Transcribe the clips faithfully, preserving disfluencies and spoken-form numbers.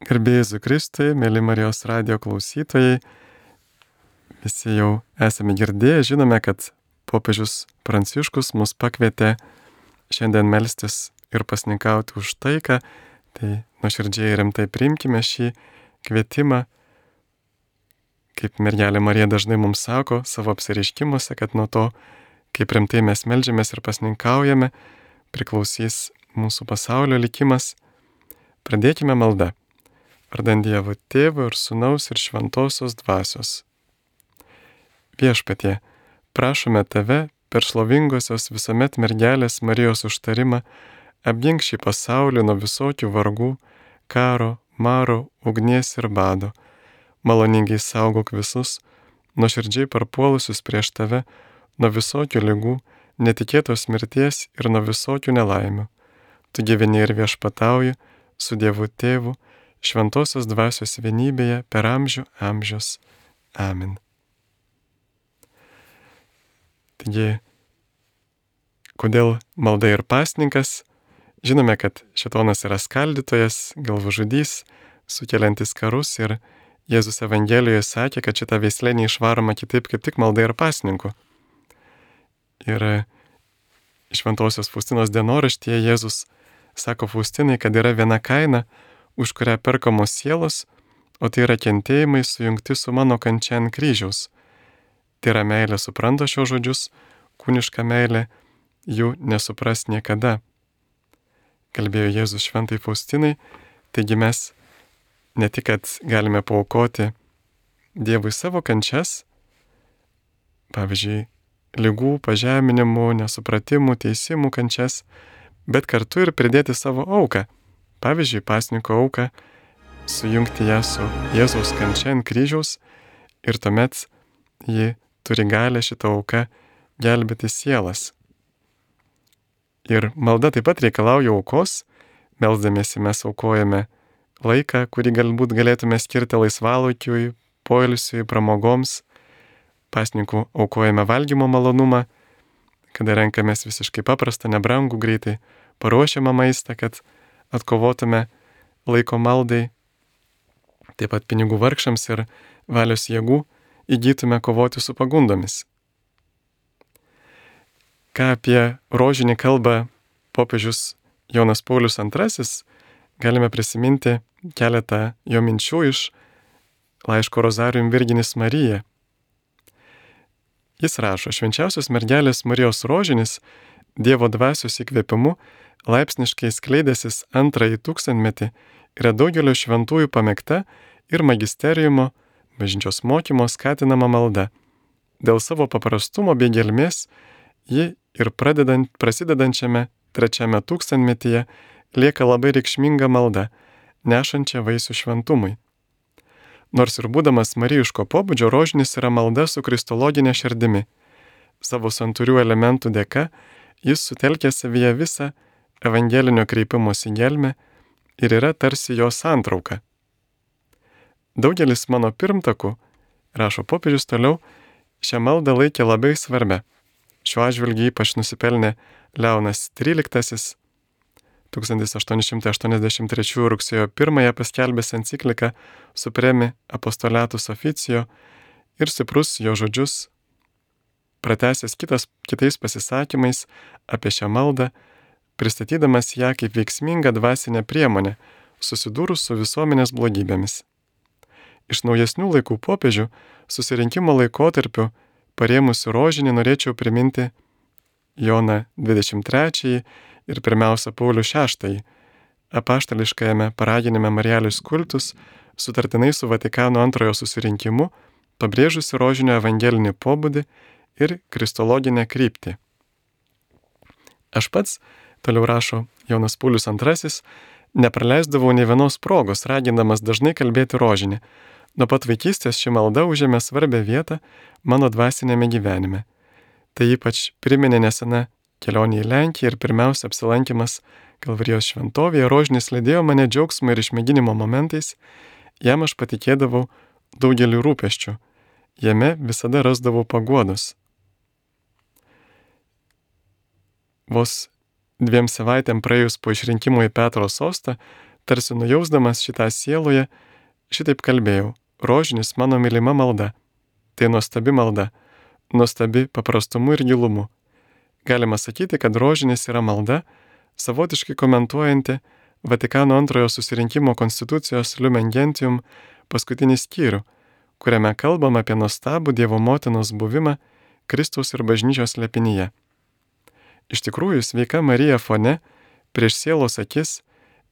Garbė Jėzui Kristui, mėly Marijos radijo klausytojai, visi jau esame girdėję, žinome, kad popiežius Pranciškus mus pakvietė šiandien melstis ir pasninkauti už taiką, tai nuoširdžiai rimtai priimkime šį kvietimą, kaip mergelė Marija dažnai mums sako savo apsireiškimuose, kad nuo to, kaip rimtai mes meldžiamės ir pasninkaujame, priklausys mūsų pasaulio likimas. Pradėkime maldą. Vardant Dievo Tėvo ir Sūnaus ir Šventosios Dvasios. Viešpatie, prašome Tave per šlovingosios visuomet mergelės Marijos užtarimą apgink šį pasaulį nuo visokių vargų, karo, maro, ugnies ir bado. Maloningai saugok visus, nuoširdžiai parpuolusius prieš Tave, nuo visokių ligų, netikėtos mirties ir nuo visokių nelaimių. Tu gyveni ir viešpatauji su Dievu Tėvu, Šventosios Dvasios vienybėje per amžių amžius. Amen. Taigi, kodėl malda ir pasninkas? Žinome, kad šėtonas yra skaldytojas, galvažudys, sukeliantis karus, ir Jėzus Evangelijoje sakė, kad šita veislė neišvaroma kitaip kaip tik malda ir pasninku. Ir Šventosios Faustinos dienoraštyje Jėzus sako Faustinai, kad yra viena kaina, už kurią perkamos sielos, o tai yra kentėjimai sujungti su mano kančia ant kryžiaus. Tai yra meilė supranta šios žodžius, kūniška meilė jų nesupras niekada. Kalbėjo Jėzus šventai Faustinai, taigi mes ne tik, kad galime paaukoti Dievui savo kančias, pavyzdžiui, ligų, pažeminimų, nesupratimų, teisimų kančias, bet kartu ir pridėti savo auką. Pavyzdžiui, pasninko auką, sujungti ją su Jėzaus kančia ant kryžiaus ir tuomet ji turi galę šitą auką gelbėti sielas. Ir malda taip pat reikalauja aukos, melsdamiesi mes aukojame laiką, kurį galbūt galėtume skirti laisvalaikiui, poilsiui, pramogoms. Pasninkų aukojame valgymo malonumą, kada renkamės visiškai paprastą, nebrangų, greitai paruošiamą maistą, kad atkovotume laiko maldai, taip pat pinigų vargšams ir valios jėgų įgytume kovoti su pagundomis. Ką apie rožinį kalba popiežius Jonas Paulius antrasis, galime prisiminti keletą jo minčių iš laiško Rozarium Virginis Marija. Jis rašo, švenčiausios mergelės Marijos rožinis Dievo dvasios įkvėpimu laipsniškai skleidęsis antrąjį tūkstantmetį yra daugelio šventųjų pamėgta ir magisteriumo, bažnyčios mokymo skatinama malda. Dėl savo paprastumo bei gelmės ji ir pradedant, prasidedančiame trečiame tūkstantmetyje lieka labai reikšminga malda, nešančia vaisių šventumui. Nors ir būdamas marijiško pobūdžio, rožinis yra malda su kristologinė širdimi. Savo santūrių elementų dėka jis sutelkia savyje visą evangelinio kreipimosi gelmę ir yra tarsi jo santrauka. Daugelis mano pirmtakų, rašo popiežius toliau, šią maldą laikė labai svarbia. Šiuo atžvilgiu ypač nusipelnė Leonas tryliktasis, tūkstantis aštuoni šimtai aštuoniasdešimt trečiųjų rugsėjo pirmąją paskelbęs encikliką Supremi Apostolatus Officio ir stiprus jo žodžius, pratęsęs kitas, kitais pasisakymais apie šią maldą, pristatydamas ją kaip veiksmingą dvasinę priemonę, susidūrus su visuomenės blogybėmis. Iš naujesnių laikų popiežių susirinkimo laikotarpiu parėmusių rožinį norėčiau priminti Joną dvidešimt trečiąjį ir pirmiausia Paulių šeštąjį, apaštališkajame paraginime Marialis Kultus, sutartinai su Vatikano antrojo susirinkimu, pabrėžusi rožinio evangelinį pobūdį ir kristologinę kryptį. Aš pats, toliau rašo Jonas Paulius antrasis, nepraleisdavau nei vienos progos, ragindamas dažnai kalbėti rožinį. Nuo pat vaikystės ši malda užėmė svarbią vietą mano dvasinėme gyvenime. Tai ypač priminė nesena kelionė į Lenkiją ir pirmiausia apsilankimas Kalvarijos šventovėje. Rožinis lydėjo mane džiaugsmo ir išmėginimo momentais, jam aš patikėdavau daugelį rūpesčių, jame visada rasdavau paguodos. Vos dviem savaitėm praėjus po išrinkimo į Petro sostą, tarsi nujausdamas šitą sieloje, šitaip kalbėjau: rožinis mano mylima malda. Tai nuostabi malda, nuostabi paprastumu ir gilumu. Galima sakyti, kad rožinis yra malda, savotiškai komentuojanti Vatikano antrojo susirinkimo konstitucijos Lumen Gentium paskutinį skyrių, kuriame kalbam apie nuostabų Dievo motinos buvimą Kristaus ir bažnyčios slėpinyje. Iš tikrųjų, sveika Marija fone, prieš sielos akis,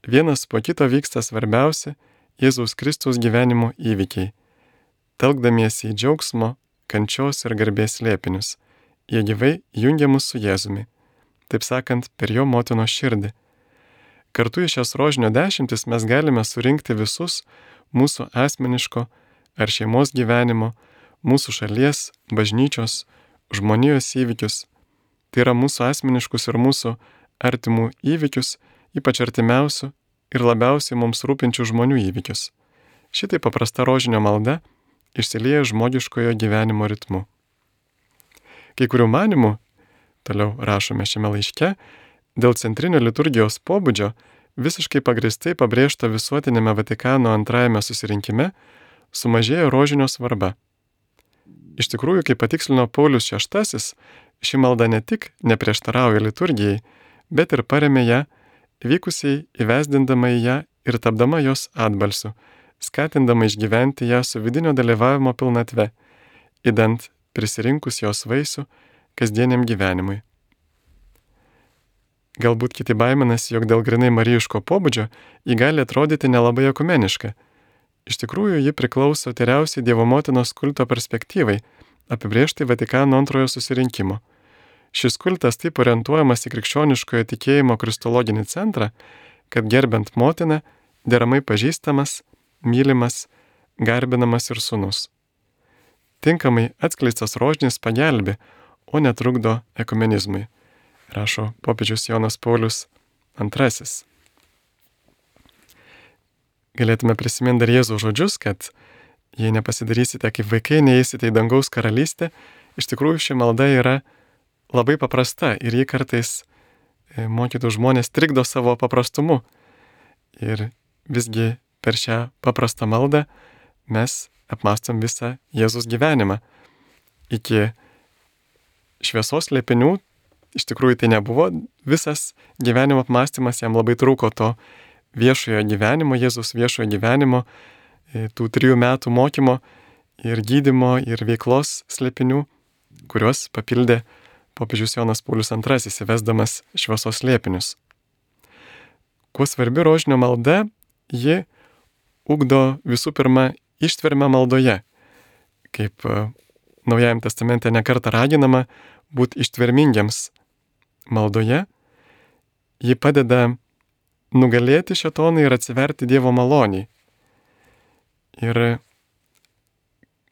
vienas po kito vyksta svarbiausi Jėzaus Kristaus gyvenimo įvykiai, telkdamiesi į džiaugsmo, kančios ir garbės slėpinius. Jie gyvai jungia mus su Jėzumi, taip sakant, per jo motinos širdį. Kartu į šias rožinio dešimtis mes galime surinkti visus mūsų asmeniško ar šeimos gyvenimo, mūsų šalies, bažnyčios, žmonijos įvykius. Tai yra mūsų asmeniškus ir mūsų artimų įvykius, ypač artimiausių ir labiausiai mums rūpinčių žmonių įvykius. Šitai paprasta rožinio malda išsilieja žmogiškojo gyvenimo ritmu. Kai kurių manimų, toliau rašome šiame laiške, dėl centrinio liturgijos pobūdžio visiškai pagristai pabrėžta visuotinėme Vatikano antrajame susirinkime sumažėjo rožinio svarba. Iš tikrųjų, kaip patikslino Paulius šeštasis, ši malda ne tik neprieštarauja liturgijai, bet ir paremė ją, vykusiai įvesdindama į ją ir tapdama jos atbalsiu, skatindama išgyventi ją su vidinio dalyvavimo pilnatve, idant prisirinkus jos vaisių kasdieniam gyvenimui. Galbūt kiti baiminasi, jog dėl grinai marijiško pobūdžio ji gali atrodyti nelabai ekumeniška. Iš tikrųjų, ji priklauso tyriausiai Dievo motinos kulto perspektyvai, apibrėžtai Vatikano antrojo susirinkimo. Šis kultas taip orientuojamas į krikščioniškojo tikėjimo kristologinį centrą, kad gerbent motiną deramai pažįstamas, mylimas, garbinamas ir sūnus. Tinkamai atskleistas rožinis pagelbė, o netrukdo ekumenizmui, rašo popiežius Jonas Paulius antrasis. Galėtume prisiminti dar Jėzaus žodžius, kad jei nepasidarysite kaip vaikai, neįsite į dangaus karalystę, iš tikrųjų ši malda yra labai paprasta ir ji kartais mokytų žmonės trikdo savo paprastumu. Ir visgi per šią paprastą maldą mes apmąstom visą Jėzus gyvenimą. Iki šviesos slėpinių, iš tikrųjų tai nebuvo visas gyvenimo apmąstymas, jam labai trūko to viešojo gyvenimo, Jėzus viešojo gyvenimo, tų trijų metų mokymo ir gydymo ir veiklos slėpinių, kuriuos papildė popiežius Jonas Paulius antrasis, įvesdamas šviesos slėpinius. Kuo svarbi rožinio malda, ji ugdo visų pirma ištvermę maldoje, kaip Naujajam testamente nekartą raginama būti ištvermingiams maldoje. Ji padeda nugalėti šėtoną ir atsiverti Dievo maloniai. Ir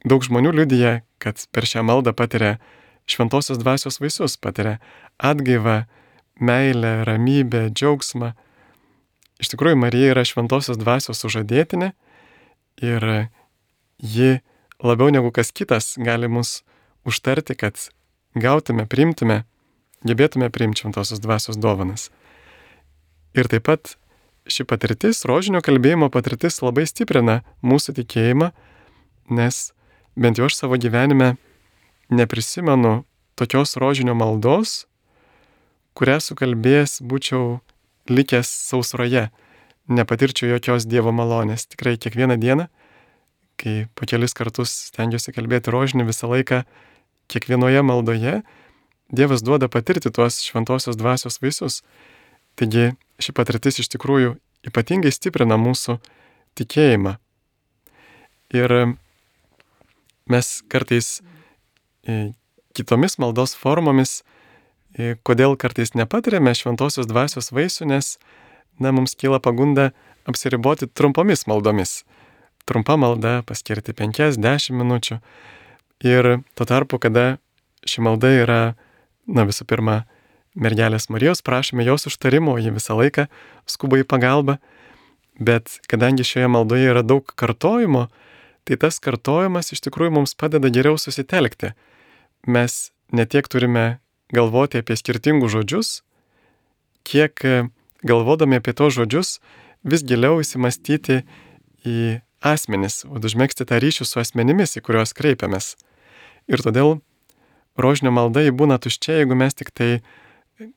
daug žmonių liudija, kad per šią maldą patiria šventosios dvasios vaisius, patiria atgaivą, meilę, ramybę, džiaugsmą. Iš tikrųjų, Marija yra šventosios dvasios sužadėtinė ir ji labiau negu kas kitas gali mus užtarti, kad gautume, priimtume, gebėtume priimti šventosios dvasios dovanas. Ir taip pat ši patirtis, rožinio kalbėjimo patirtis labai stiprina mūsų tikėjimą, nes bent jau aš savo gyvenime neprisimenu tokios rožinio maldos, kurią sukalbėjęs būčiau likęs sausroje, nepatirčiau jokios Dievo malonės. Tikrai kiekvieną dieną, kai po kelis kartus stengiuosi kalbėti rožinį, visą laiką, kiekvienoje maldoje Dievas duoda patirti tuos šventosios dvasios vaisius. Taigi ši patirtis iš tikrųjų ypatingai stiprina mūsų tikėjimą. Ir mes kartais kitomis maldos formomis, kodėl kartais nepatiriame šventosios dvasios vaisių, nes na, mums kyla pagunda apsiriboti trumpomis maldomis. Trumpa malda paskirti penkias dešimt minučių. Ir tuo tarpu, kada ši malda yra, na visų pirma, mergelės Marijos, prašome jos užtarimo, ji visą laiką skuba į pagalbą, bet kadangi šioje maldoje yra daug kartojimo, tai tas kartojimas iš tikrųjų mums padeda geriau susitelkti. Mes ne tiek turime galvoti apie skirtingus žodžius, kiek galvodami apie tos žodžius vis giliau įsimastyti į asmenis, užmegzti tą ryšį su asmenimis, į kuriuos kreipiamės. Ir todėl rožinio malda jį būna tuščia, jeigu mes tik tai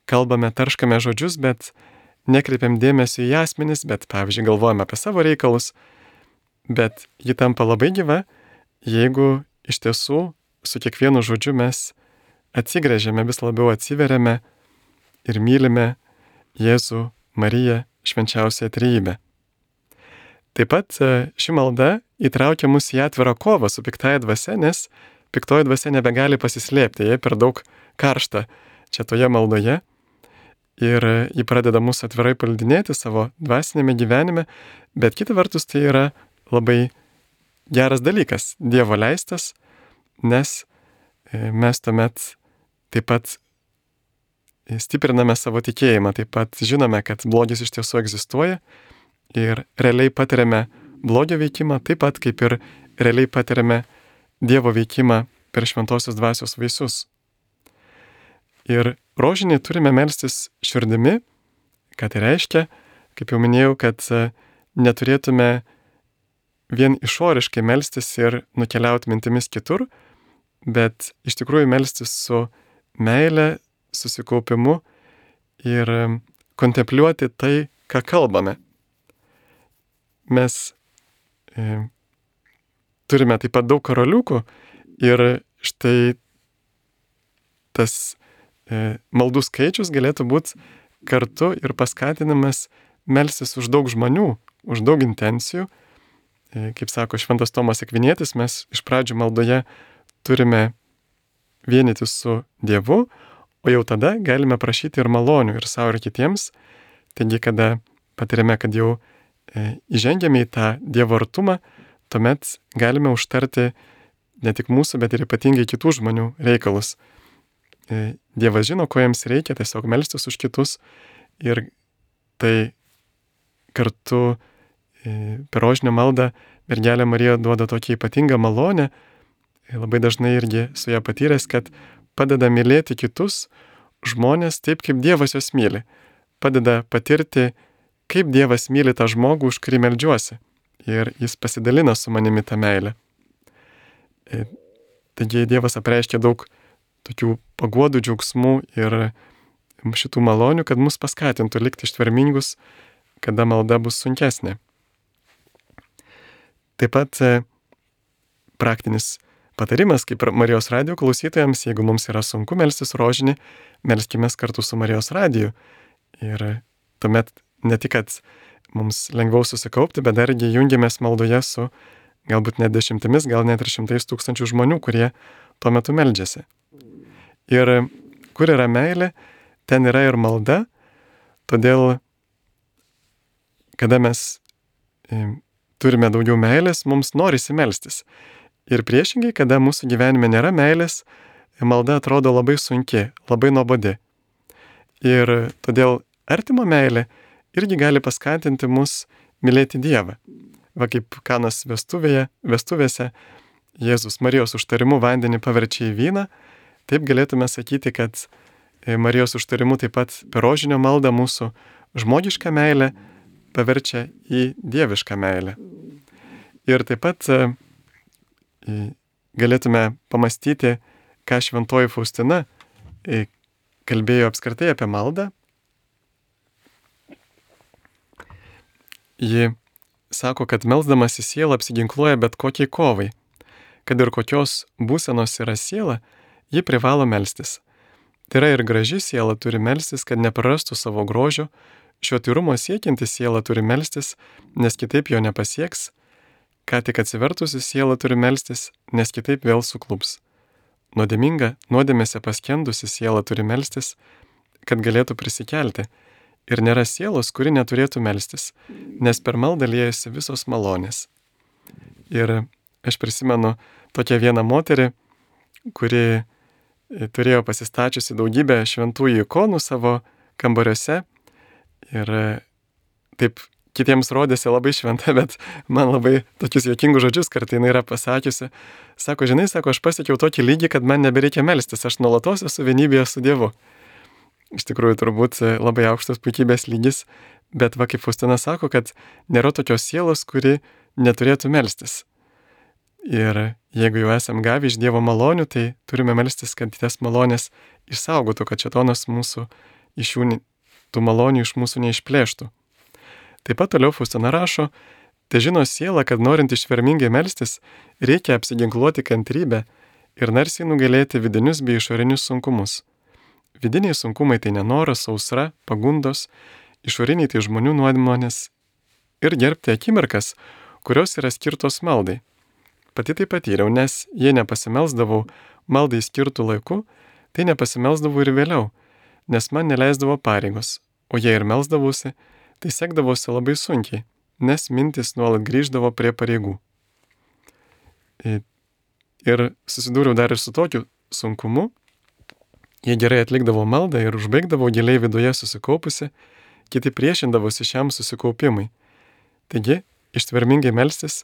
kalbame, tarškame žodžius, bet nekreipiam dėmesio į asmenis, bet, pavyzdžiui, galvojame apie savo reikalus, bet ji tampa labai gyva, jeigu iš tiesų su kiekvienu žodžiu mes atsigręžiame, vis labiau atsiveriame ir mylime Jėzų, Mariją, švenčiausiąją trejybę. Taip pat ši malda įtraukia mus į atvirą kovą su piktaja dvasia, nes piktoji dvasia nebegali pasislėpti, jie per daug karšta čia toje maldoje ir ji pradeda mus atvirai paldinėti savo dvasinėme gyvenime, bet kita vertus tai yra labai geras dalykas, Dievo leistas, nes mes tuomet taip pat stipriname savo tikėjimą, taip pat žinome, kad blogis iš tiesų egzistuoja ir realiai patiriame blogio veikimą, taip pat kaip ir realiai patiriame Dievo veikimą per šventosios dvasios vaisius. Ir rožinį turime melstis širdimi, ką tai reiškia, kaip jau minėjau, kad neturėtume vien išoriškai melstis ir nukeliauti mintimis kitur, bet iš tikrųjų melstis su meile, susikaupimu ir kontempliuoti tai, ką kalbame. Mes e, turime taip pat daug karoliukų ir štai tas e, maldų skaičius galėtų būti kartu ir paskatinamas melstis už daug žmonių, už daug intencijų. E, kaip sako šventas Tomas Akvinietis, mes iš pradžių maldoje turime vienyti su Dievu, o jau tada galime prašyti ir malonių ir savo ir kitiems. Taigi, kada patiriame, kad jau e, įžengėme į tą Dievo artumą, tuomet galime užtarti ne tik mūsų, bet ir ypatingai kitų žmonių reikalus. E, Dievas žino, ko jiems reikia, tiesiog melstis už kitus ir tai kartu e, per rožinio maldą mergelė Marija duoda tokią ypatingą malonę, e, labai dažnai irgi su ją patyręs, kad padeda mylėti kitus žmonės taip, kaip Dievas juos myli. Padeda patirti, kaip Dievas myli tą žmogų, už kurį meldžiuosi. Ir jis pasidalina su manimi tą meilę. E, taigi Dievas apreiškia daug tokių paguodų, džiaugsmų ir šitų malonių, kad mus paskatintų likti ištvermingus, kada malda bus sunkesnė. Taip pat e, praktinis patarimas, kaip Marijos radijo klausytojams, jeigu mums yra sunku melstis rožinį, melskimės kartu su Marijos radiju. Ir tuomet ne tik, kad mums lengviau susikaupti, bet dargi jungiamės maldoje su galbūt net dešimtimis, gal net ir šimtais tūkstančių žmonių, kurie tuo metu meldžiasi. Ir kur yra meilė, ten yra ir malda, todėl, kada mes e, turime daugiau meilės, mums norisi melstis. Ir priešingai, kada mūsų gyvenime nėra meilės, malda atrodo labai sunki, labai nuobodi. Ir todėl artimo meilė irgi gali paskatinti mus mylėti Dievą. Va kaip Kanos vestuvėje, vestuvėse Jėzus Marijos užtarimu vandenį paverčia į vyną, taip galėtume sakyti, kad Marijos užtarimu taip pat per rožinio maldą mūsų žmogišką meilę paverčia į dievišką meilę. Ir taip pat galėtume pamastyti, ką šventoji Faustina kalbėjo apskritai apie maldą. Ji sako, kad melsdamas į sielą apsiginkluoja bet kokiai kovai. Kad ir kokios būsenos yra siela, ji privalo melstis. Tai yra ir graži siela turi melstis, kad neprarastų savo grožio, šio tyrumo siekianti siela turi melstis, nes kitaip jo nepasieks. Ką tik atsivertusi siela turi melstis, nes kitaip vėl suklups. Nuodėminga, nuodėmėse paskendusi siela turi melstis, kad galėtų prisikelti. Ir nėra sielos, kuri neturėtų melstis, nes per maldą liejasi visos malonės. Ir aš prisimenu tokią vieną moterį, kuri turėjo pasistačiusi daugybę šventųjų ikonų savo kambariuose ir taip kitiems rodėsi labai šventa, bet man labai tokius juokingus žodžius kartai jinai yra pasakiusi. Sako, žinai, sako, aš pasiekiau tokį lygį, kad man nebereikia melstis, aš nuolatos esu vienybėje su Dievu. Iš tikrųjų, turbūt labai aukštas puikybės lygis, Bet va kaip Faustina sako, kad nėra tokios sielos, kuri neturėtų melstis. Ir jeigu jau esam gavę iš Dievo malonių, tai turime melstis, kad tas malonės išsaugotų, kad šėtonas mūsų iš jų, tų malonių iš mūsų neišplėštų. Taip pat toliau Faustina rašo, tai žino siela, kad norint ištvermingai melstis, reikia apsiginkluoti kantrybę ir narsiai nugalėti vidinius bei išorinius sunkumus. Vidiniai sunkumai tai nenoras, sausra, pagundos, išoriniai tai žmonių nuodėmonės ir gerbti akimirkas, kurios yra skirtos maldai. Pati tai patyriau, nes jei nepasimelsdavau maldai skirtų laiku, tai nepasimelsdavau ir vėliau, nes man neleisdavo pareigos, o jei ir melsdavausi, tai sekdavosi labai sunkiai, nes mintis nuolat grįždavo prie pareigų. Ir susidūriau dar ir su tokiu sunkumu, jei gerai atlikdavau maldą ir užbaigdavau giliai viduje susikaupusi, kiti priešindavosi šiam susikaupimui. Taigi, ištvermingai melstis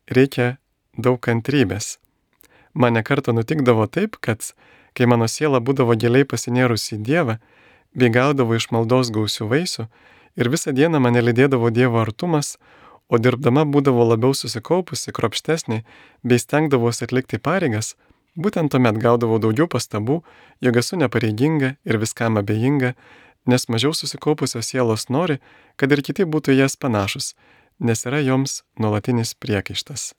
reikia daug kantrybės. Man nekartą nutikdavo taip, kad kai mano siela būdavo giliai pasinėrusi į Dievą, bei gaudavo iš maldos gausių vaisių, ir visą dieną mane lydėdavo Dievo artumas, o dirbdama būdavo labiau susikaupusi, kruopštesnė, bei stengdavosi atlikti pareigas, būtent tuomet gaudavau daugiau pastabų, jog esu nepareiginga ir viskam abejinga, nes mažiau susikaupusios sielos nori, kad ir kiti būtų jas panašus, nes yra joms nuolatinis priekaištas.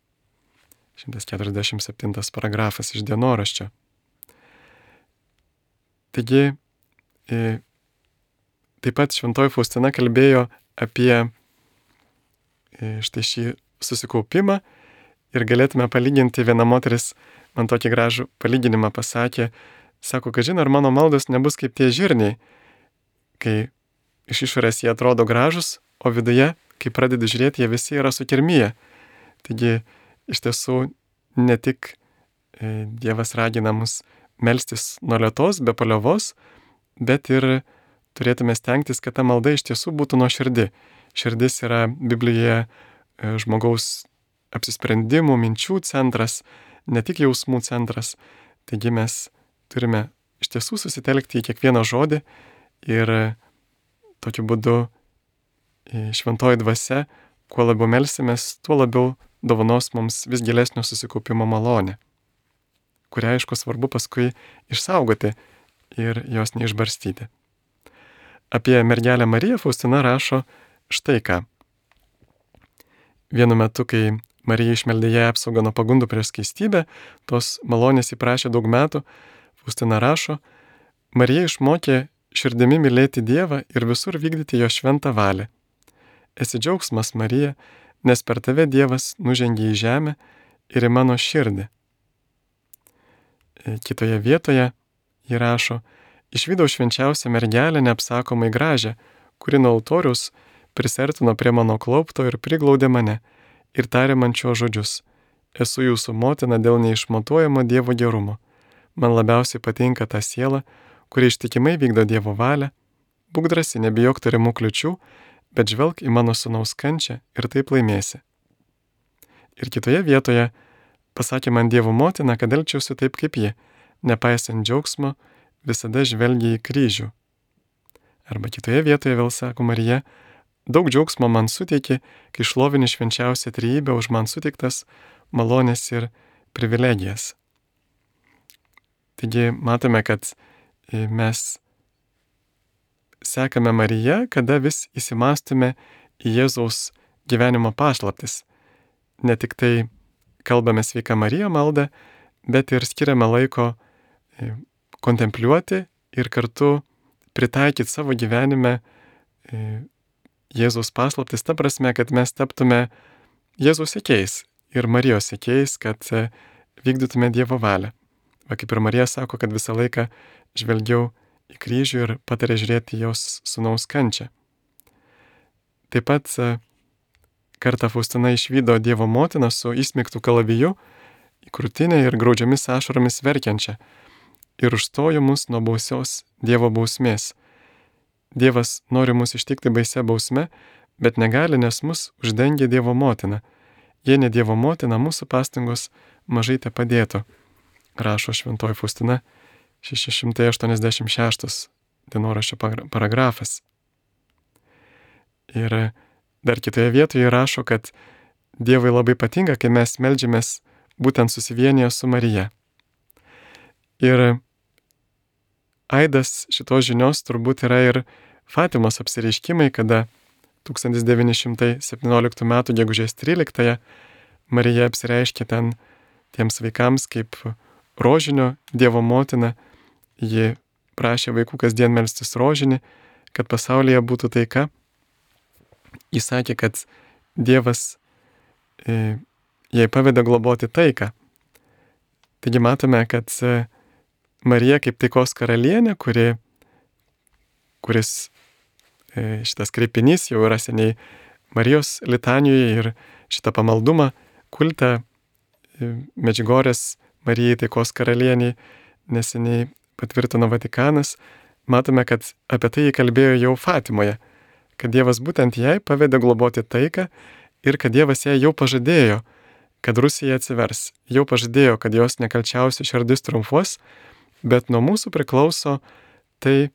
šimtas keturiasdešimt septintas paragrafas iš dienoraščio. Taigi, e, taip pat šventoji Faustina kalbėjo apie e, štai šį susikaupimą ir galėtume palyginti, viena moteris man tokį gražų palyginimą pasakė, sako, kad žinai, ar mano maldos nebus kaip tie žirniai, kai iš išorės jie atrodo gražus, o viduje, kai pradedi žiūrėti, jie visi yra sukirmiję. Taigi, iš tiesų, ne tik e, Dievas ragina mus melstis nuo lėtos, be paliovos, bet ir turėtume stengtis, kad ta malda iš tiesų būtų nuoširdi. Širdis yra Biblijoje e, žmogaus apsisprendimų, minčių centras, ne tik jausmų centras. Taigi mes turime iš tiesų susitelkti į kiekvieną žodį ir tokiu būdu e, šventoji dvasia, kuo labiau melsimės, tuo labiau dovanos mums vis gilesnio susikaupimo malonę, kurią, aišku, svarbu paskui išsaugoti ir jos neišbarstyti. Apie mergelę Mariją Faustina rašo štai ką. Vienu metu, kai Marija išmeldė ją apsaugą nuo pagundų prieš skaistybę, tos malonės įprašė daug metų, Faustina rašo, Marija išmokė širdimi mylėti Dievą ir visur vykdyti jo šventą valią. Esi džiaugsmas, Marija, nes per tave Dievas nužengė į žemę ir į mano širdį. Kitoje vietoje ji rašo, išvydau švenčiausią mergelę neapsakomai gražią, kuri nuo altoriaus prisertino prie mano klaupto ir priglaudė mane ir tarė man šiuos žodžius. Esu jūsų motina dėl neišmatuojamo Dievo gerumo. Man labiausiai patinka ta siela, kuri ištikimai vykdo Dievo valią. Būk drąsi, nebijok tarimų kliučių, bet žvelk į mano sūnaus kančią ir taip laimėsi. Ir kitoje vietoje pasakė man Dievo motina, kad elgčiausi taip kaip ji, nepaisant džiaugsmo, visada žvelgia į kryžių. Arba kitoje vietoje vėl sako Marija, daug džiaugsmo man suteikė, kai šlovini švenčiausią trejybę už man suteiktas malonės ir privilegijas. Taigi matome, kad mes sekame Mariją, kada vis įsimastume į Jėzaus gyvenimo paslaptis. Ne tik tai kalbame sveiką Mariją maldą, bet ir skiriame laiko kontempliuoti ir kartu pritaikyti savo gyvenime Jėzaus paslaptis, ta prasme, kad mes taptume Jėzaus sekėjais ir Marijos sekėjais, kad vykdytume Dievo valią. Va kaip ir Marija sako, kad visą laiką žvelgiau į kryžių ir patarė žiūrėti jos sūnaus kančią. Taip pat kartą Faustina išvydo Dievo motiną su įsmeigtu kalaviju į krūtinę ir graudžiomis ašaromis verkiančią ir užstojo mus nuo baisios Dievo bausmės. Dievas nori mus ištikti baisia bausme, bet negali, nes mus uždengia Dievo motina. Jei ne Dievo motina, mūsų pastangos mažai te padėtų, rašo šventoji Faustina, šeši šimtai aštuoniasdešimt šeštas dienoraščio paragrafas. Ir dar kitoje vietoje rašo, kad Dievui labai patinka, kai mes meldžiamės būtent susivienyje su Marija. Ir aidas šitos žinios turbūt yra ir Fatimos apsireiškimai, kada tūkstantis devyni šimtai septynioliktų metų gegužės tryliktąją Marija apsireiškė ten tiems vaikams kaip rožinio Dievo motina. Ji prašė vaikų kasdien melstis rožinį, kad pasaulyje būtų taika. Jis sakė, kad Dievas e, jai pavedė globoti taiką. Taigi matome, kad e, Marija kaip taikos karalienė, kuri, kuris e, šitas kreipinys jau yra seniai Marijos litanijoje ir šitą pamaldumą kultą e, Medžiugorės Marijai taikos karalieniai neseniai patvirtino Vatikanas. Matome, kad apie tai jį kalbėjo jau Fatimoje, kad Dievas būtent jai pavedė globoti taiką ir kad Dievas jai jau pažadėjo, kad Rusija atsivers, jau pažadėjo, kad jos nekalčiausia širdis triumfuos, bet nuo mūsų priklauso tai,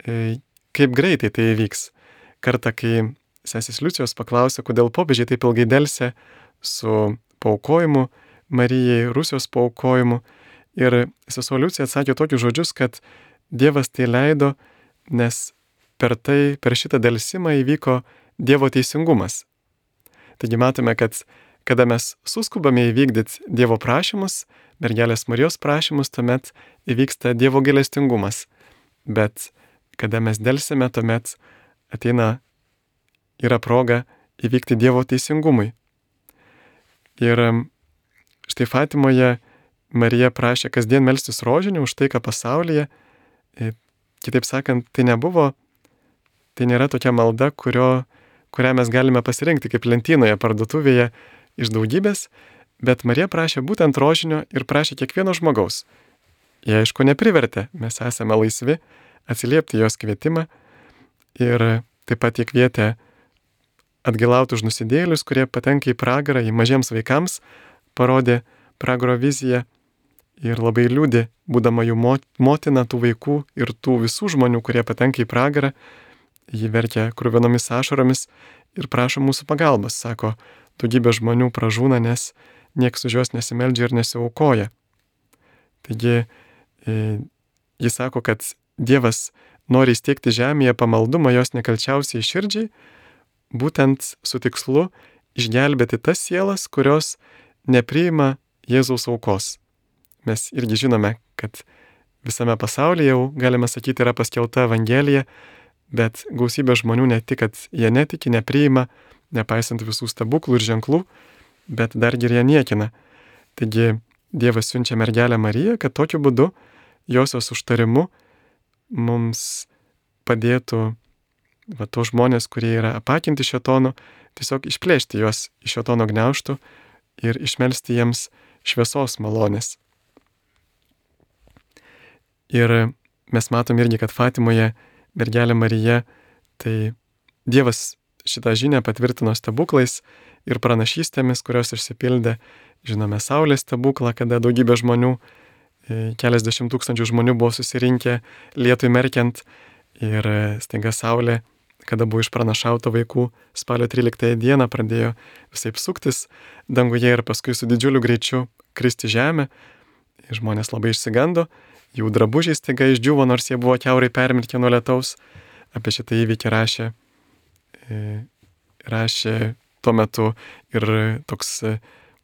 e, kaip greitai tai įvyks. Kartą, kai sesės Liucijos paklausė, kodėl popiežiai taip ilgai delsė su paaukojimu Marijai, Rusijos paaukojimu, ir sesuo Liucija atsakė tokius žodžius, kad Dievas tai leido, nes per tai, per šitą delsimą įvyko Dievo teisingumas. Taigi matome, kad kada mes suskubame įvykdyti Dievo prašymus, mergelės Marijos prašymus, tuomet įvyksta Dievo gailestingumas. Bet kada mes delsime, tuomet ateina, yra proga įvykti Dievo teisingumui. Ir štai Fatimoje Marija prašė kasdien melstis rožinį už taiką pasaulyje. Kitaip sakant, tai nebuvo, tai nėra tokia malda, kurio, kurią mes galime pasirinkti kaip lentynoje parduotuvėje iš daugybės, bet Marija prašė būtent rožinio ir prašė kiekvieno žmogaus. Jie aišku neprivertė, mes esame laisvi atsiliepti jos kvietimą ir taip pat jie kvietė atgailauti už nusidėjėlius, kurie patenka į pragarą, į mažiems vaikams, parodė pragaro viziją. Ir labai liūdė, būdama jų motina tų vaikų ir tų visų žmonių, kurie patenka į pragarą. Ji verkia kruvinomis ašaromis ir prašo mūsų pagalbos. Sako, daugybė žmonių pražūna, nes nieks už juos nesimeldžia ir nesiaukoja. Taigi, e, jis sako, kad Dievas nori įsteigti žemėje pamaldumą jos nekalčiausiai širdžiai, būtent su tikslu išgelbėti tas sielas, kurios nepriima Jėzaus aukos. Mes irgi žinome, kad visame pasaulyje jau, galime sakyti, yra paskelbta Evangelija, bet gausybė žmonių ne tik, kad jie netiki, nepriima, nepaisant visų stebuklų ir ženklų, bet dargi ir jie niekina. Taigi Dievas siunčia mergelę Mariją, kad tokiu būdu josios užtarimu mums padėtų va, tos žmonės, kurie yra apakinti šėtono, tiesiog išplėšti juos iš šėtono gniaužtų ir išmelsti jiems šviesos malonės. Ir mes matom irgi, kad Fatimoje mergelė Marija, tai Dievas šitą žinią patvirtino stebuklais ir pranašystėmis, kurios išsipildė. Žinome Saulės stebuklą, kada daugybė žmonių, keliasdešimt tūkstančių žmonių buvo susirinkę lietui merkiant ir staiga Saulė, kada buvo išpranašauta vaikų, spalio tryliktąją dieną pradėjo visaip suktis danguje ir paskui su didžiuliu greičiu kristi žemę. Žmonės labai išsigando. Jų drabužiai staiga išdžiuvo, nors jie buvo kiaurai permirkę nuo lietaus. Apie šitą įvykį rašė, rašė tuo metu ir toks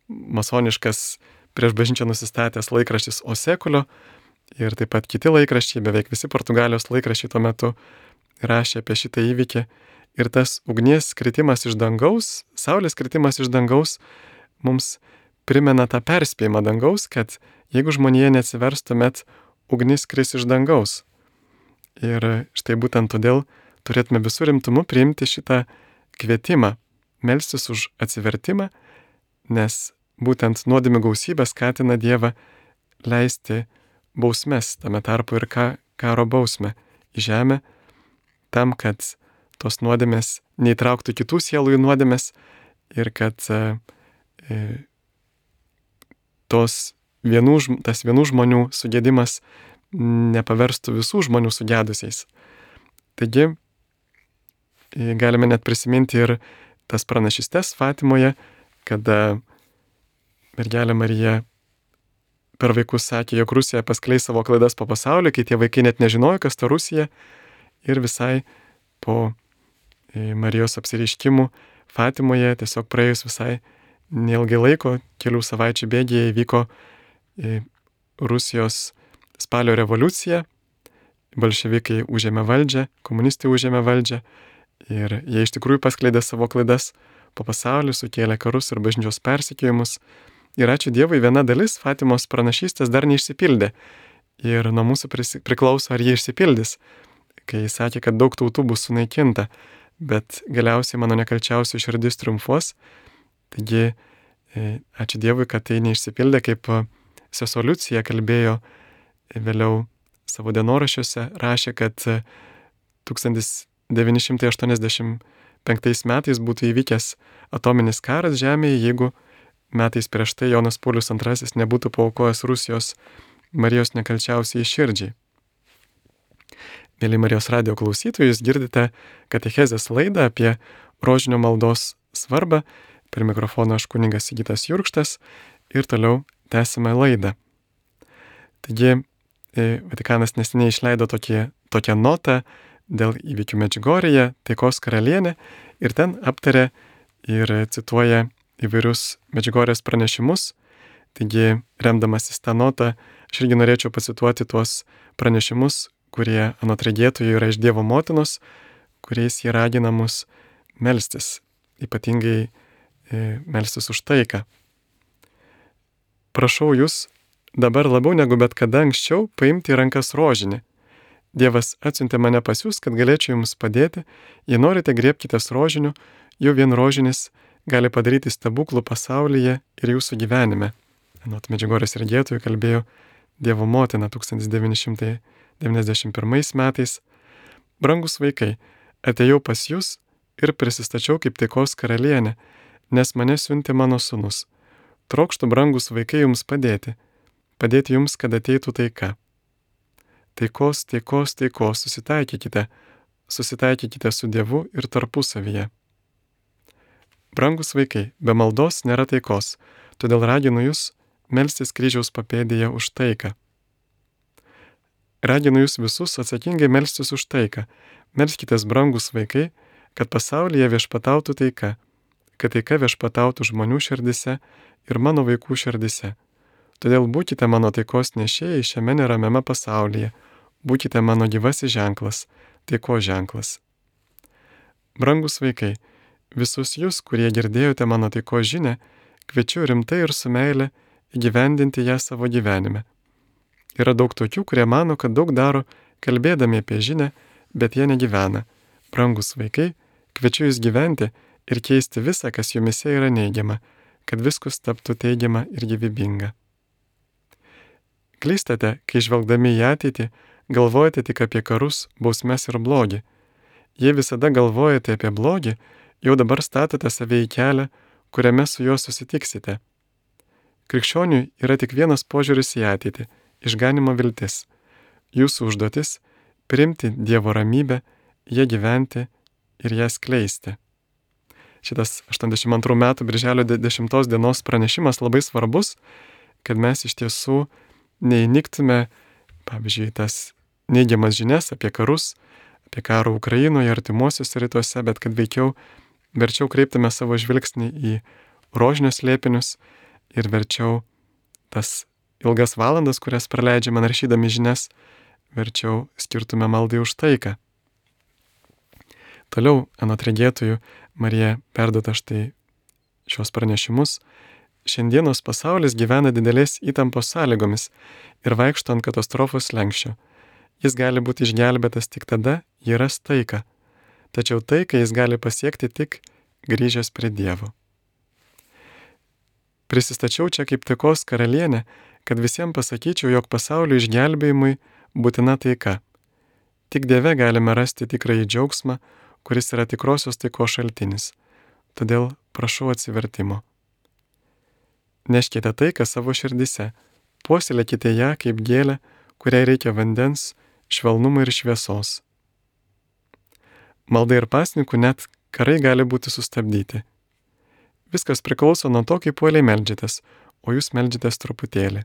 masoniškas prieš bažnyčią nusistatęs laikraštis O Seculio ir taip pat kiti laikraščiai, beveik visi Portugalijos laikraščiai tuo metu rašė apie šitą įvykį. Ir tas ugnies kritimas iš dangaus, saulės kritimas iš dangaus mums primena tą perspėjimą dangaus, kad jeigu žmonija neatsivers, tuomet ugnis kris iš dangaus. Ir štai būtent todėl turėtume visų rimtumu priimti šitą kvietimą, melstis už atsivertimą, nes būtent nuodėmių gausybė skatina Dievą leisti bausmes, tame tarpu ir ka, karo bausmę į žemę, tam, kad tos nuodėmės neįtrauktų kitų sielų į nuodėmės ir kad e, tos vienų, tas vienų žmonių sugėdimas nepaverstų visų žmonių sugedusiais. Taigi, galime net prisiminti ir tas pranašystes Fatimoje, kada mergelė Marija per vaikus sakė, jog Rusija paskleis savo klaidas po pasaulį, kai tie vaikai net nežinojo, kas ta Rusija. Ir visai po Marijos apsireiškimų Fatimoje tiesiog praėjus visai neilgai laiko, kelių savaičių bėgyje įvyko Rusijos spalio revoliucija, bolševikai užėmė valdžią, komunistai užėmė valdžią ir jie iš tikrųjų paskleidė savo klaidas po pasaulį, sukėlė karus ir bažnyčios persekiojimus. Ir ačiū Dievui, viena dalis Fatimos pranašystės dar neišsipildė ir nuo mūsų priklauso, ar jie išsipildys, kai jis sakė, kad daug tautų bus sunaikinta, bet galiausiai mano nekalčiausių širdis triumfuos. Taigi, ačiū Dievui, kad tai neišsipildė, kaip sesuo Liucija kalbėjo vėliau savo dienoraščiuose, rašė, kad tūkstantis devyni šimtai aštuoniasdešimt penktais metais būtų įvykęs atominis karas Žemėje, jeigu metais prieš tai Jonas Paulius antrasis nebūtų paaukojęs Rusijos Marijos nekalčiausiai širdžiai. Mėly Marijos radijo klausytojai, jūs girdite katechezės laidą apie rožinio maldos svarbą. Per mikrofoną aš kunigas Sigitas Jurkštas ir toliau tęsime laidą. Taigi, Vatikanas neseniai išleido tokį, tokią notą dėl įvykių Medžiugorėje, taikos karalienė, ir ten aptarė ir cituoja įvairius Medžiugorės pranešimus. Taigi, remdamasis tą notą, aš irgi norėčiau pacituoti tuos pranešimus, kurie anot regėtojų yra iš Dievo motinos, kuriais jie ragina mus melstis, ypatingai e, melstis už taiką. Prašau jūs dabar labiau negu bet kada anksčiau paimti į rankas rožinį. Dievas atsiuntė mane pas jūs, kad galėčiau jums padėti. Jei norite, griebkitės rožinių, jau vien rožinis gali padaryti stebuklų pasaulyje ir jūsų gyvenime. Anot Medžiugorės regėtojų kalbėjo Dievo motina tūkstantis devyni šimtai devyniasdešimt pirmais metais. Brangus vaikai, atėjau pas jūs ir prisistačiau kaip taikos karalienė, nes mane siuntė mano sūnus. Trokštu, brangus vaikai, jums padėti. Padėti jums, kad ateitų taika. Taikos, taikos, taikos, susitaikykite, susitaikykite su Dievu ir tarpusavyje. Brangus vaikai, be maldos nėra taikos, todėl raginu jūs melstis kryžiaus papėdėje už taiką. Raginu jūs visus atsakingai melstis už taiką. Melskitės, brangus vaikai, kad pasaulyje viešpatautų taika, kad taika viešpatautų žmonių širdise ir mano vaikų širdise. Todėl būkite mano taikos nešėjai šiame neramiame pasaulyje, būkite mano gyvasis ženklas, taikos ženklas. Brangus vaikai, visus jūs, kurie girdėjote mano taikos žinią, kviečiu rimtai ir su meile įgyvendinti ją savo gyvenime. Yra daug tokių, kurie mano, kad daug daro, kalbėdami apie žinią, bet jie negyvena. Brangus vaikai, kviečiu jūs gyventi ir keisti visą, kas jumise yra neigiama, kad viskas taptų teigiama ir gyvybinga. Klystate, kai žvelgdami į ateitį, galvojate tik apie karus, bausmes ir blogį. Jei visada galvojate apie blogį, jau dabar statote save į kelią, kuriame su juo susitiksite. Krikščioniui yra tik vienas požiūris į ateitį – išganimo viltis. Jūsų užduotis – priimti Dievo ramybę, ją gyventi ir ją skleisti. Šitas aštuoniasdešimt antrų metų birželio dešimtos dienos pranešimas labai svarbus, kad mes iš tiesų neįniktume, pavyzdžiui, tas neigiamas žinias apie karus, apie karą Ukrainoje, artimuosiuose rytuose, bet kad veikiau verčiau kreiptume savo žvilgsnį į rožinius slėpinius ir verčiau tas ilgas valandas, kurias praleidžiame naršydami žinias, verčiau skirtume maldai už taiką. Toliau, anot regėtojų, Marija perduota štai šios pranešimus. Šiandienos pasaulis gyvena didelės įtampos sąlygomis ir vaikšto ant katastrofos slenksčio. Jis gali būti išgelbėtas tik tada, jei ras taiką. Tačiau taiką jis gali pasiekti tik grįžęs prie Dievo. Prisistačiau čia kaip taikos karalienė, kad visiems pasakyčiau, jog pasaulio išgelbėjimui būtina taika. Tik Dieve galime rasti tikrąjį džiaugsmą, kuris yra tikrosios taikos šaltinis. Todėl prašau atsivertimo. Neškite taiką savo širdise, puoselėkite ją kaip gėlę, kuriai reikia vandens, švelnumo ir šviesos. malda ir pasninku net karai gali būti sustabdyti. Viskas priklauso nuo to, kaip uoliai meldžiatės, o jūs meldžiatės truputėlį.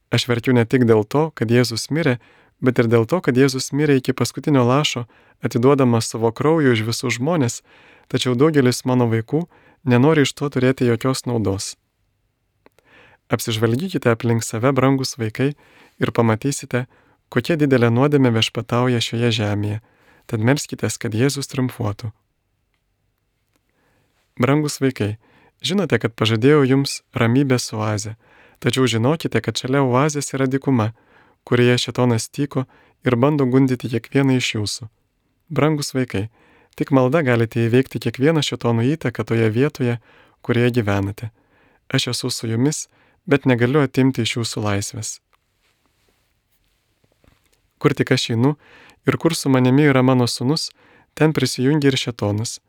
Aš verkiu ne tik dėl to, kad Jėzus mirė, bet ir dėl to, kad Jėzus mirė iki paskutinio lašo, atiduodamas savo kraują už visus žmonės, tačiau daugelis mano vaikų nenori iš to turėti jokios naudos. Apsižvalgykite aplink save, brangus vaikai, ir pamatysite, kokia didelė nuodėmė viešpatauja šioje žemėje, tad melskitės, kad Jėzus triumfuotų. Brangus vaikai, žinote, kad pažadėjau jums ramybės oazę, tačiau žinokite, kad šalia oazės yra dykuma, kurioje šėtonas tyko ir bando gundyti kiekvieną iš jūsų. Brangus vaikai, tik malda galite įveikti kiekvieną šėtono įtaką toje vietoje, kurioje gyvenate. Aš esu su jumis, bet negaliu atimti iš jūsų laisvės. Kur tik aš einu ir kur su manimi yra mano sūnus, ten prisijungia ir šėtonas.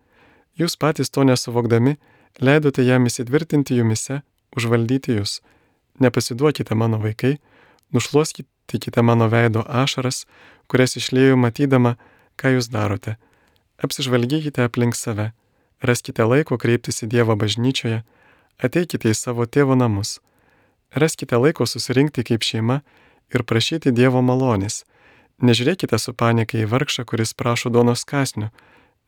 Jūs patys to nesuvokdami, leidote jam įsitvirtinti jumise, užvaldyti jūs. Nepasiduokite mano vaikai, nušluoskite mano veido ašaras, kurias išliejau matydama, ką jūs darote. Apsižvalgykite aplink save, raskite laiko kreiptis į Dievą bažnyčioje, ateikite į savo tėvo namus. Raskite laiko susirinkti kaip šeima ir prašyti Dievo malonės. Nežiūrėkite su panika į vargšą, kuris prašo duonos kąsnių,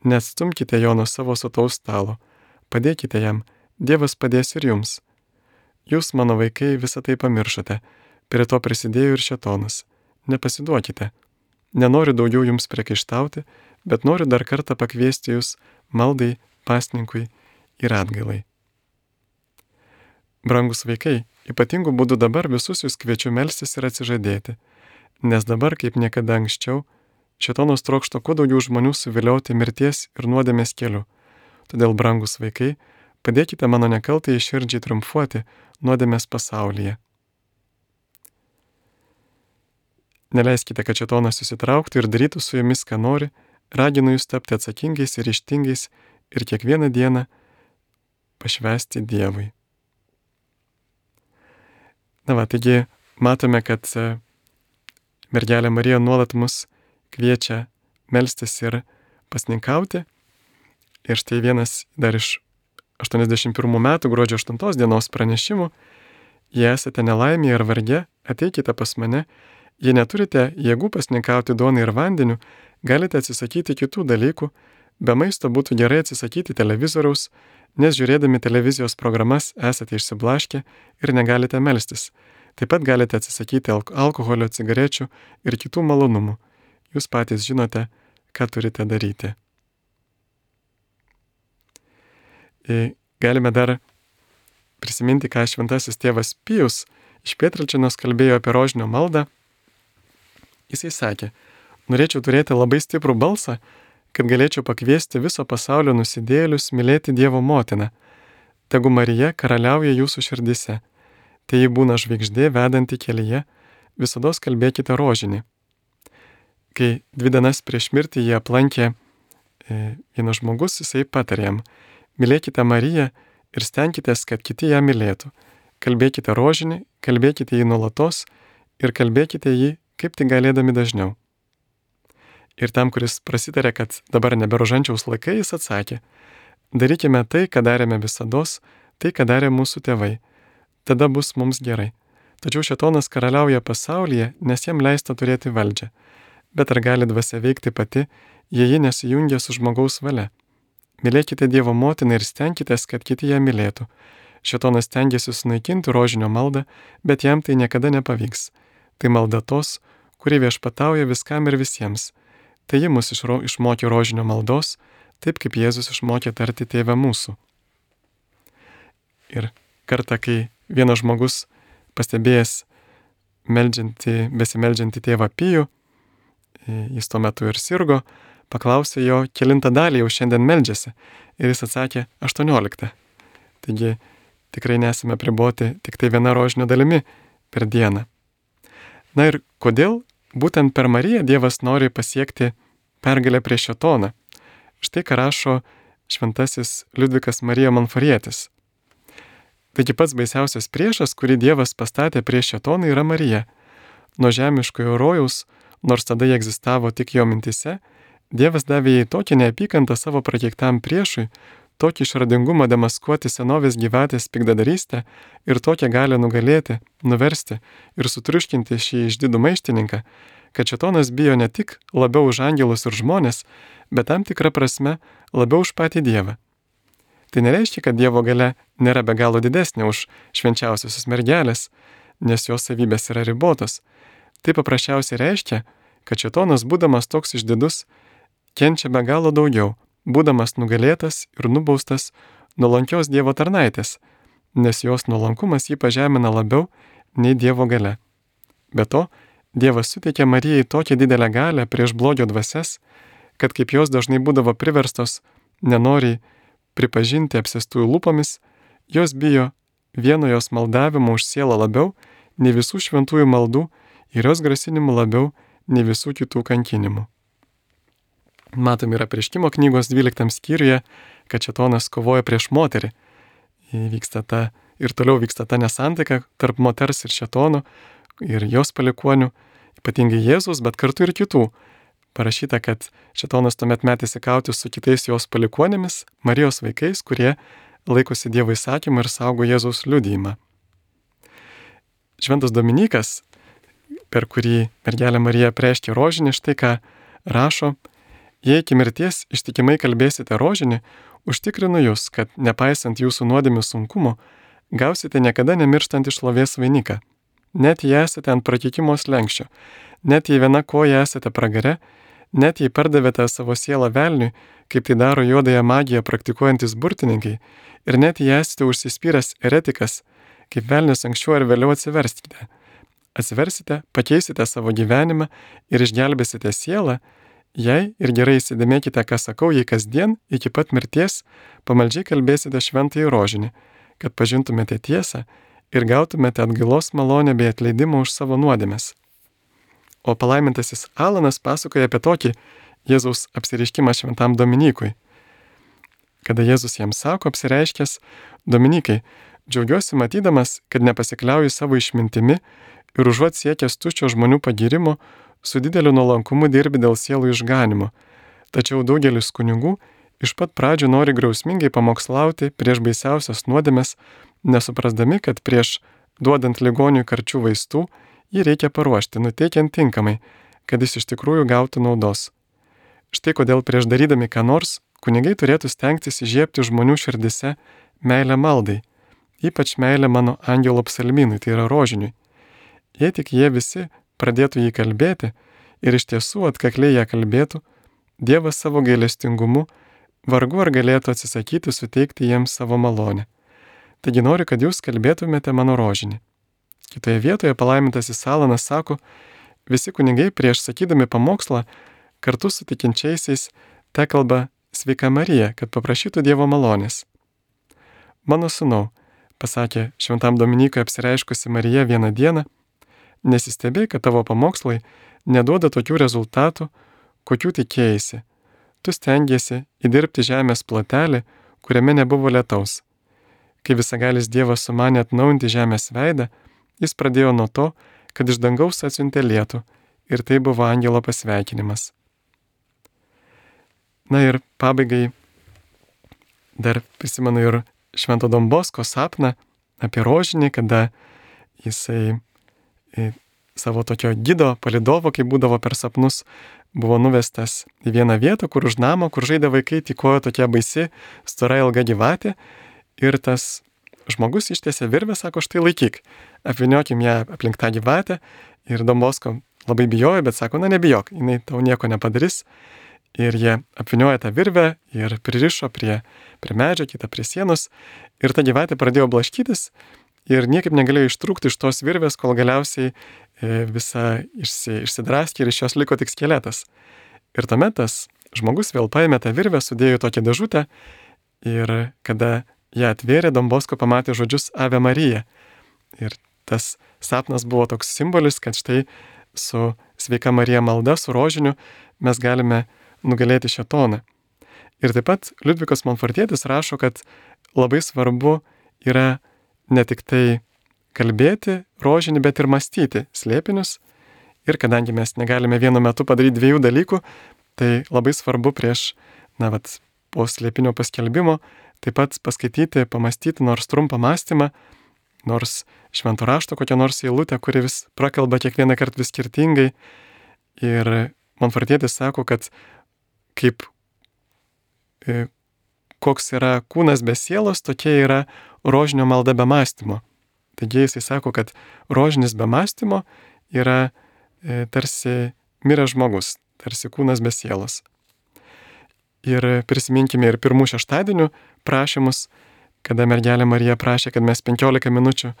neatstumkite jo nuo savo sotaus stalo, padėkite jam, Dievas padės ir jums. Jūs, mano vaikai, visą tai pamiršote, prie to prisidėjo ir šėtonas. Nepasiduokite. Nenoriu daugiau jums priekaištauti, bet noriu dar kartą pakviesti jūs maldai, pasninkui ir atgailai. Brangus vaikai, ypatingų būdų dabar visus jūs kviečiu melstis ir atsižadėti, nes dabar, kaip niekada anksčiau, šėtonas trokšta kuo daugiau žmonių suvilioti mirties ir nuodėmės keliu. Todėl, brangus vaikai, padėkite mano nekaltai širdžiai triumfuoti nuodėmės pasaulyje. Neleiskite, kad šėtonas susitrauktų ir darytų su jumis, ką nori, raginu jūs tapti atsakingais ir ryžtingais ir kiekvieną dieną pašvęsti Dievui. Na va, taigi matome, kad mergelė Marija nuolat mus kviečia melstis ir pasninkauti. Ir štai vienas dar iš aštuoniasdešimt pirmų metų gruodžio aštuntos dienos pranešimų: jei esate nelaimėje ar varge, ateikite pas mane. Jei neturite jėgų pasninkauti duonai ir vandeniu, galite atsisakyti kitų dalykų. Be maisto būtų gerai atsisakyti televizoriaus, nes žiūrėdami televizijos programas esate išsiblaškę ir negalite melstis. Taip pat galite atsisakyti alkoholio, cigarečių ir kitų malonumų. Jūs patys žinote, ką turite daryti. Galime dar prisiminti, ką šventasis tėvas Pijus iš Pietrelčinos kalbėjo apie rožinio maldą. Jisai sakė: norėčiau turėti labai stiprų balsą, kad galėčiau pakviesti viso pasaulio nusidėjėlius mylėti Dievo motiną. Tegu Marija karaliauja jūsų širdise. Tai ji būna žvaigždė vedanti kelyje, visados kalbėkite rožinį. Kai dvi dienas prieš mirtį jie aplankė e, vienas žmogus, jisai patarė jam: mylėkite Mariją ir stenkitės, kad kiti ją mylėtų. Kalbėkite rožinį, kalbėkite jį nuolatos ir kalbėkite jį kaip tik galėdami dažniau. Ir tam, kuris prasitarė, kad dabar nebe rožančiaus laikai, jis atsakė: darykime tai, ką darėme visados, tai, ką darė mūsų tėvai. Tada bus mums gerai. Tačiau šėtonas karaliauja pasaulyje, nes jam leista turėti valdžią. Bet ar gali dvasia veikti pati, jei ji nesijungia su žmogaus valia? Mylėkite Dievo motiną ir stenkitės, kad kiti ją mylėtų. Šėtonas stengiasi sunaikinti rožinio maldą, bet jam tai niekada nepavyks. Tai malda tos, kuri viešpatauja viskam ir visiems. Tai ji mus išro, išmokė rožinio maldos, taip kaip Jėzus išmokė tarti Tėve mūsų. Ir kartą, kai vienas žmogus pastebėjęs meldžiantį, besimeldžiantį tėvą Pijų, jis tuo metu ir sirgo, paklausė jo, kelintą dalį jau šiandien meldžiasi, ir jis atsakė aštuonioliktą. Taigi tikrai nesame priboti tik tai viena rožinio dalimi per dieną. Na ir kodėl būtent per Mariją Dievas nori pasiekti pergalę prieš šėtoną? Štai ką rašo šventasis Liudvikas Marija Monforietis. Taigi pats baisiausias priešas, kurį Dievas pastatė prieš šėtoną, yra Marija. Nuo žemiškojo rojaus, nors tada jie egzistavo tik jo mintise, Dievas davė jai tokį neapykantą savo prakeiktam priešui, tokį išradingumą demaskuoti senovės gyvatės pikdadarystę ir tokią galią nugalėti, nuversti ir sutriuškinti šį išdidų maištininką, kad šėtonas bijo ne tik labiau už angelus ir žmonės, bet tam tikrą prasme labiau už patį Dievą. Tai nereiškia, kad Dievo galia nėra be galo didesnė už švenčiausiosios mergelės, nes jos savybės yra ribotos. Tai paprasčiausiai reiškia, kad šėtonas, būdamas toks išdidus, kenčia be galo daugiau, būdamas nugalėtas ir nubaustas nuolankios Dievo tarnaitės, nes jos nuolankumas jį pažemina labiau nei Dievo galia. Be to, Dievas suteikė Marijai tokią didelę galią prieš blogio dvasias, kad kaip jos dažnai būdavo priverstos nenoriai pripažinti apsėstųjų lūpomis, jos bijo vieno jos maldavimo už sielą labiau nei visų šventųjų maldų ir jos grasinimų labiau nei visų kitų kankinimų. Matom ir apreiškimo knygos dvyliktam skyriuje, kad šėtonas kovoja prieš moterį. Vyksta ta, ir toliau vyksta ta nesantaika tarp moters ir šėtono ir jos palikuonių, ypatingai Jėzus, bet kartu ir kitų. Parašyta, kad šėtonas tuomet metėsi kautis su kitais jos palikuonėmis, Marijos vaikais, kurie laikosi Dievo įsakymų ir saugo Jėzaus liudijimą. Šventas Dominykas, per kurį mergelė Marija apreiškė rožinį, štai ką rašo: jei iki mirties ištikimai kalbėsite rožinį, užtikrinu jūs, kad nepaisant jūsų nuodėmių sunkumo, gausite niekada nemirštantį šlovės vainiką. Net jei esate ant prakeikimo slenksčio, net jei viena koja esate pragare, net jei pardavėte savo sielą velniui, kaip tai daro juodąją magiją praktikuojantis burtininkai, ir net jei esate užsispyręs eretikas, kaip velnius anksčiau ar vėliau atsiverskite. Atsiversite, pakeisite savo gyvenimą ir išgelbėsite sielą, jei ir gerai įsidėmėkite, ką sakau, jei kasdien iki pat mirties pamaldžiai kalbėsite šventąjį rožinį, kad pažintumėte tiesą ir gautumėte atgailos malonę bei atleidimą už savo nuodėmes. O palaimintasis Alanas pasakoja apie tokį Jėzaus apsireiškimą šventam Dominykui. Kada Jėzus jam sako apsireiškęs: Dominikai, džiaugiuosi matydamas, kad nepasikliauju savo išmintimi ir užuot siekęs tuščio žmonių pagyrimo, su dideliu nuolankumu dirbi dėl sielų išganimo. Tačiau daugelis kunigų iš pat pradžių nori griausmingai pamokslauti prieš baisiausias nuodėmes, nesuprasdami, kad prieš duodant ligoniui karčių vaistų jį reikia paruošti, nuteikiant tinkamai, kad jis iš tikrųjų gautų naudos. Štai kodėl prieš darydami ką nors, kunigai turėtų stengtis įžiebti žmonių širdise meilę maldai, ypač meilę mano angelo psalmynui, tai yra rožiniui. Jei tik jie visi pradėtų jį kalbėti ir iš tiesų atkakliai ją kalbėtų, Dievas savo gailestingumu vargu ar galėtų atsisakyti suteikti jiems savo malonę. Taigi noriu, kad jūs kalbėtumėte mano rožinį. Kitoje vietoje palaimintasis Alanas sako: visi kunigai prieš sakydami pamokslą kartu su tikinčiaisiais te kalba Sveika Marija, kad paprašytų Dievo malonės. Mano sūnau, pasakė šventam Dominykui apsireiškusi Marija vieną dieną, nesistebėk, kad tavo pamokslai neduoda tokių rezultatų, kokių tikėjaisi. Tu stengiesi įdirbti žemės plotelį, kuriame nebuvo lietaus. Kai visagalis Dievas sumanė atnaujinti žemės veidą, jis pradėjo nuo to, kad iš dangaus atsiuntė lietų, ir tai buvo angelo pasveikinimas. Na ir pabaigai dar prisimenu ir Švento Don Bosko sapną apie rožinį, kada jisai savo tokio gido, palidovo, kai būdavo per sapnus, buvo nuvestas į vieną vietą, kur už namo, kur žaidė vaikai, tykojo tokia baisi, stora ilga gyvatė, ir tas žmogus ištiesė virvę, sako, štai laikyk, apviniokim ją aplink tą gyvatę, ir Don Bosko labai bijojo, bet sako, na nebijok, jinai tau nieko nepadarys, ir jie apviniojo tą virvę ir pririšo prie, prie medžio, kitą prie sienos, ir ta gyvatė pradėjo blaškytis, ir niekaip negalėjo ištrūkti iš tos virvės, kol galiausiai visa išsi, išsidraskė ir iš jos liko tik skeletas. Ir tuomet tas žmogus vėl paėmė tą virvę, sudėjo į tokią dėžutę, ir kada ją atvėrė, Don Bosko pamatė žodžius Ave Marija. Ir tas sapnas buvo toks simbolis, kad štai su Sveika Marija malda, su rožiniu mes galime nugalėti šėtoną. Ir taip pat Liudvikas Monfortietis rašo, kad labai svarbu yra ne tik tai kalbėti rožinį, bet ir mąstyti slėpinius. Ir kadangi mes negalime vienu metu padaryti dviejų dalykų, Tai labai svarbu prieš, na, vat, po slėpinio paskelbimo taip pat paskaityti, pamastyti nors trumpą mąstymą, nors švento rašto kokią nors eilutę, kuri vis prakalba kiekvieną kartą vis skirtingai. Ir Monfortietis sako, kad kaip e, koks yra kūnas be sielos, tokia yra rožinio malda be mąstymo. Taigi jisai sako, kad rožinis be mąstymo yra e, tarsi miręs žmogus, tarsi kūnas be sielos. Ir prisiminkime ir pirmų šeštadienių prašymus, kada mergelė Marija prašė, kad mes penkiolika minučių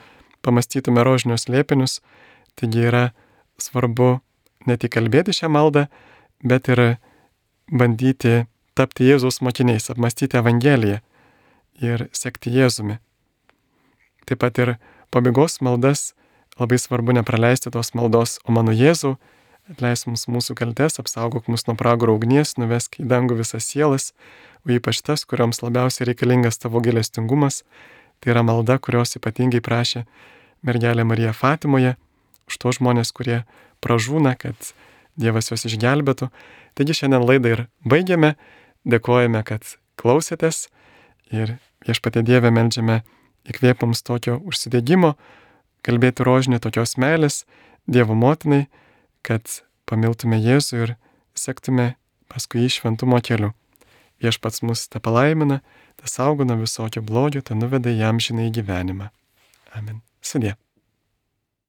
pamastytume rožinius slėpinius. Taigi yra svarbu ne tik kalbėti šią maldą, bet ir bandyti tapti Jėzaus mokiniais, apmastyti Evangeliją ir sekti Jėzumi. Taip pat ir pabaigos maldas labai svarbu nepraleisti tos maldos: O mano Jėzau, atleisk mums mūsų kaltes, apsaugok mus nuo pragaro ugnies, nuvesk į dangų visas sielas, o ypač tas, kurioms labiausiai reikalingas tavo gailestingumas. Tai yra malda, kurios ypatingai prašė mergelė Marija Fatimoje, už tos žmonės, kurie pražūna, kad Dievas juos išgelbėtų. Taigi šiandien laidą ir baigiame, dėkojame, kad klausėtės ir Viešpatie Dieve meldžiame įkvėp mums tokio užsidegimo, kalbėti rožinį, tokios meilės Dievo motinai, kad pamiltume Jėzų ir sektume paskui jį šventumo keliu. Viešpats mus te palaimina, te saugo nuo visokio blogio, te nuveda į amžinąjį gyvenimą. Amen. Sudie.